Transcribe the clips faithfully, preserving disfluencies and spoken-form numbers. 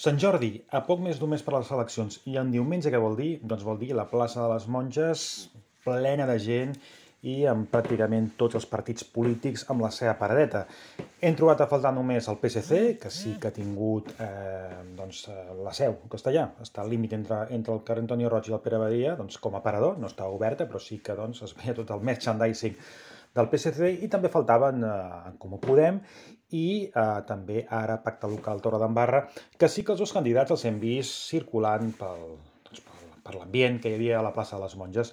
Sant Jordi, a poc més d'un mes per a les eleccions, i en diumenge què vol dir? Doncs vol dir la plaça de les Monges plena de gent i amb pràcticament tots els partits polítics amb la seva paradeta. Hem trobat a faltar només el P S C, que sí que ha tingut eh, doncs, eh, la seu en castellà. Està al límit entre, entre el carrer Antonio Roig i el Pere Badia, doncs, com a parador, no està oberta, però sí que doncs, es veia tot el merchandising del P S C i també faltaven eh, en Comú Podem i eh, també ara Pacte Local Torredembarra, que sí que els dos candidats els hem vist circulant pel, doncs, per, per l'ambient que hi havia a la plaça de les Monges.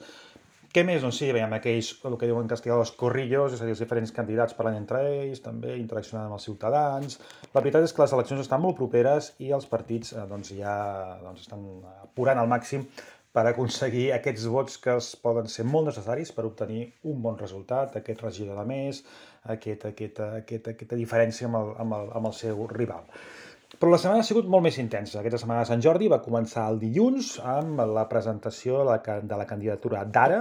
Què més? Doncs sí, veiem aquells, el que diuen en castellà, els corrillos, és a dir, els diferents candidats parlant entre ells, també interaccionant amb els ciutadans. La veritat és que les eleccions estan molt properes i els partits eh, doncs, ja doncs, estan apurant al màxim per aconseguir aquests vots que es poden ser molt necessaris per obtenir un bon resultat, aquest regidor de més, aquest, aquesta, aquesta, aquesta diferència amb el, amb, el, amb el seu rival. Però la setmana ha sigut molt més intensa. Aquesta setmana de Sant Jordi va començar el dilluns amb la presentació de la, de la candidatura d'Ara,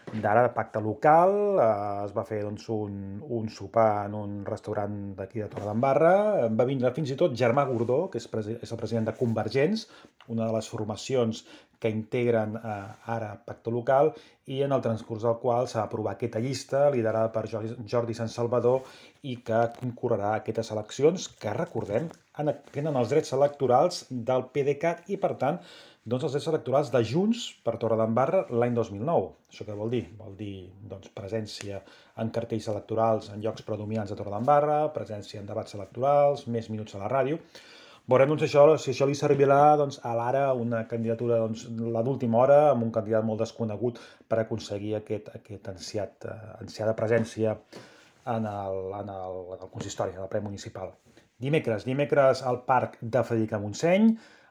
d'Ara de Pacte Local. Eh, es va fer doncs, un, un sopar en un restaurant d'aquí de Torredembarra. Va vindre fins i tot Germà Gordó, que és, és el president de Convergents, una de les formacions que integren eh, ara Pacte Local, i en el transcurs del qual s'ha aprovat aquesta llista liderada per Jordi, Jordi Sant Salvador i que concorrerà a aquestes eleccions que, recordem, tenen els drets electorals del P D C A t i, per tant, doncs els drets electorals de Junts per Torredembarra l'any dos mil nou. Això què vol dir? Vol dir doncs, presència en cartells electorals en llocs predominants de Torredembarra, presència en debats electorals, més minuts a la ràdio. Veurem doncs, això, si això li servirà doncs, a l'Ara una candidatura doncs, la d'última hora amb un candidat molt desconegut per aconseguir aquest, aquest ansiat, uh, ansiada presència en el, en el, en el consistori, en el ple municipal. Dimecres, dimecres al Parc de Frederica Montseny,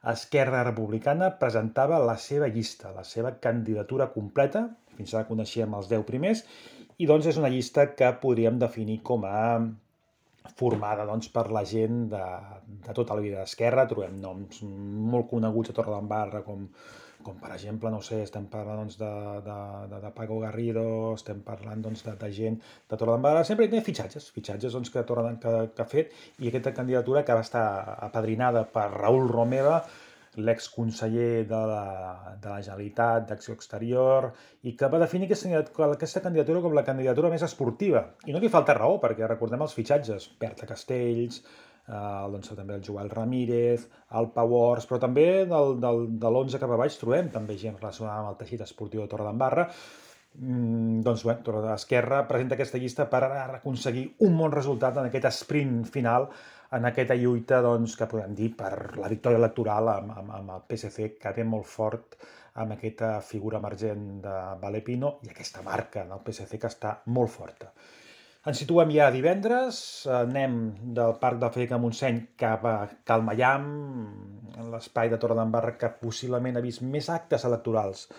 Esquerra Republicana presentava la seva llista, la seva candidatura completa, fins ara coneixíem els deu primers, i doncs és una llista que podríem definir com a formada doncs, per la gent de, de tota la vida d'Esquerra. Trobem noms molt coneguts a Torredembarra, com, com per exemple, no sé, estem parlant doncs, de, de, de, de Paco Garrido, estem parlant doncs, de, de gent de Torredembarra. Sempre hi ha fitxatges, fitxatges doncs, que, que, que ha fet, i aquesta candidatura que va estar apadrinada per Raül Romeva, l'exconseller de la, de la Generalitat d'Acció Exterior, i que va definir aquesta, aquesta candidatura com la candidatura més esportiva. I no li falta raó, perquè recordem els fitxatges, Berta Castells, eh, doncs, també el Joel Ramírez, el Pau Ors, però també del, del, de l'onze cap a baix trobem també gent relacionada amb el teixit esportiu de Torredembarra. Mm, doncs bé, Esquerra presenta aquesta llista per aconseguir un bon resultat en aquest sprint final, en aquesta lluita doncs, que podem dir per la victòria electoral amb, amb, amb el P S C, que ve molt fort amb aquesta figura emergent de Valepino i aquesta marca del P S C que està molt forta. Ens situem ja divendres, anem del Parc de Frederica Montseny cap a Cal Maiam, en l'espai de Torredembarra que possiblement ha vist més actes electorals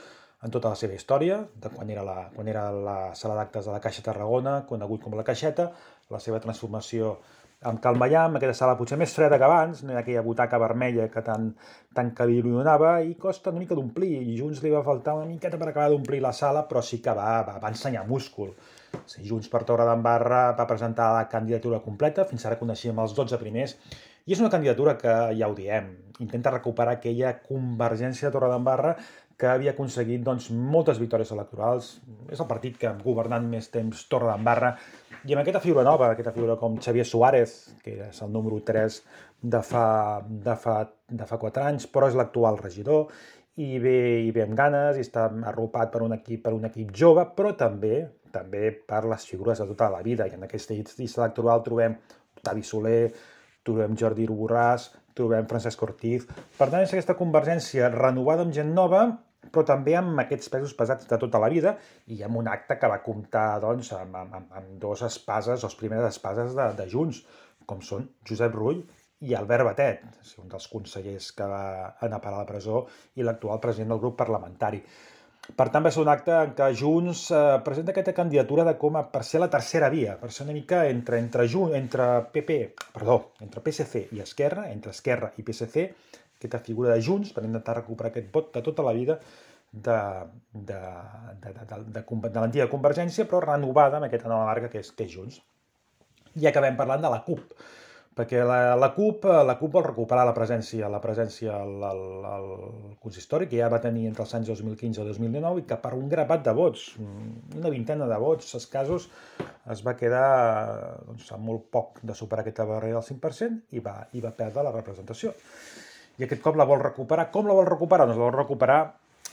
en tota la seva història, de quan era la, quan era la sala d'actes de la Caixa Tarragona, conegut com la Caixeta, la seva transformació amb Cal Maiam, aquesta sala potser més freda que abans, no hi ha aquella butaca vermella que tant, tant que li donava, i costa una mica d'omplir, i Junts li va faltar una miqueta per acabar d'omplir la sala, però sí que va, va, va ensenyar múscul. Sí, Junts per Torredembarra va presentar la candidatura completa, fins ara coneixíem els dotze primers, i és una candidatura que, ja ho diem, intenta recuperar aquella convergència de Torredembarra que havia aconseguit doncs, moltes victòries electorals. És el partit que ha governat més temps Torredembarra, i amb aquesta figura nova, aquesta figura com Xavier Suárez, que és el número tres de fa, de fa, de fa quatre anys, però és l'actual regidor, i ve, i ve amb ganes, i està arropat per un equip, per un equip jove, però també també per les figures de tota la vida. I en aquesta llista electoral trobem Octavi Soler, trobem Jordi Borràs, trobem Francesc Ortiz. Per tant, és aquesta convergència renovada amb gent nova, però també amb aquests pesos pesats de tota la vida, i amb un acte que va comptar doncs, amb, amb, amb dos espases, les primeres espases de, de Junts, com són Josep Rull i Albert Batet, un dels consellers que va anar a parar a la presó i l'actual president del grup parlamentari. Per tant, va ser un acte en què Junts eh, presenta aquesta candidatura de com a per ser la tercera via, per ser una mica entre, entre, entre P P, perdó, entre P S C i Esquerra, entre Esquerra i P S C, aquesta figura de Junts per intentar recuperar aquest vot de tota la vida de, de, de, de, de, de, de l'antiga Convergència, però renovada amb aquesta nova marca que és, que és Junts. I acabem parlant de la CUP. perquè la, la CUP, la CUP vol recuperar la presència, la presència al, al, al consistori, que ja va tenir entre els anys dos mil quinze i dos mil dinou, i que per un grapat de vots, una vintena de vots escassos, es va quedar doncs, amb molt poc de superar aquesta barrera del cinc per cent i va, i va perdre la representació. I aquest cop la vol recuperar. Com la vol recuperar? Doncs la vol recuperar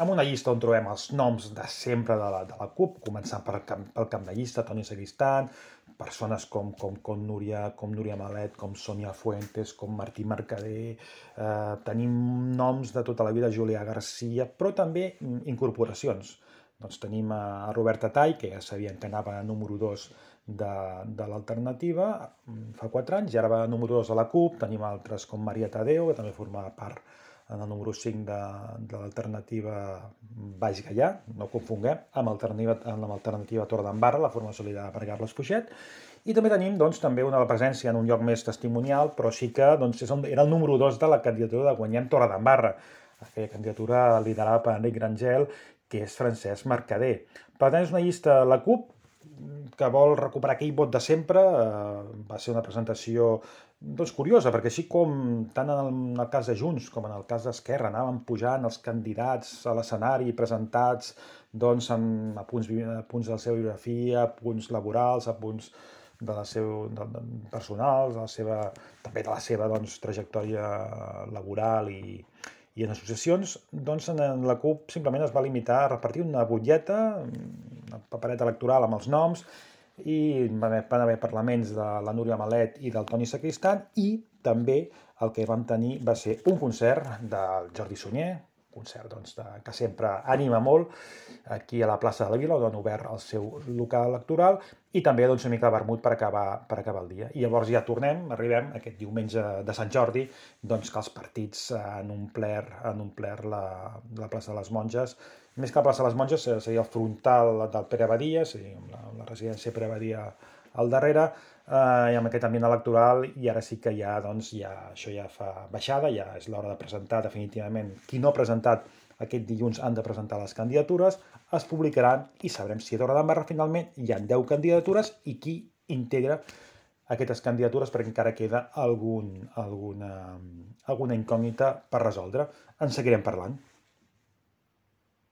amb una llista on trobem els noms de sempre de la, de la CUP, començant per, pel cap de llista, Toni Sacristán, persones com, com, com, Núria, com Núria Malet, com Sònia Fuentes, com Martí Mercader, eh, tenim noms de tota la vida, Julià Garcia, però també incorporacions. Doncs tenim a Roberta Tall, que ja sabien que anava a número dos de, de l'alternativa fa quatre anys, i ara va a número dos de la CUP, tenim altres com Maria Tadeu, que també forma part en el número cinc de, de l'alternativa Baix Gaià, no ho confonguem, amb l'alternativa Torredembarra, la formació liderada per Carles Fuixet, i també tenim doncs, també una presència en un lloc més testimonial, però sí que doncs, era el número dos de la candidatura de Guanyem Torredembarra, aquella candidatura liderada per Enric Grangel, que és Francesc Mercader. Per tant, és una llista de la CUP que vol recuperar aquell vot de sempre. Eh, va ser una presentació doncs, curiosa, perquè així com tant en el, en el cas de Junts com en el cas d'Esquerra anaven pujant els candidats a l'escenari presentats doncs, amb, a, punts, a punts de la seva biografia, a punts laborals, a punts de la seu, de, de, personals, de la seva, també de la seva doncs, trajectòria laboral i, i en associacions, doncs en la CUP simplement es va limitar a repartir una butlleta, una papereta electoral amb els noms, i van haver parlaments de la Núria Malet i del Toni Sacristán, i també el que vam tenir va ser un concert del Jordi Sunyer, un concert doncs, de, que sempre anima molt, aquí a la plaça de la Vila, on han obert el seu local electoral, i també doncs, una mica de vermut per acabar, per acabar el dia. I llavors ja tornem, arribem aquest diumenge de Sant Jordi, doncs que els partits han omplert, han omplert la, la plaça de les Monges. Més que la plaça de les Monges seria el frontal del Pere Badia, seria la, la residència Pere Badia al darrere, eh, i amb aquest ambient electoral, i ara sí que ja, doncs, ja, això ja fa baixada, ja és l'hora de presentar definitivament. Qui no ha presentat aquest dilluns han de presentar les candidatures, es publicaran i sabrem si a Torredembarra finalment hi ha deu candidatures i qui integra aquestes candidatures, perquè encara queda algun, alguna, alguna incògnita per resoldre. En seguirem parlant.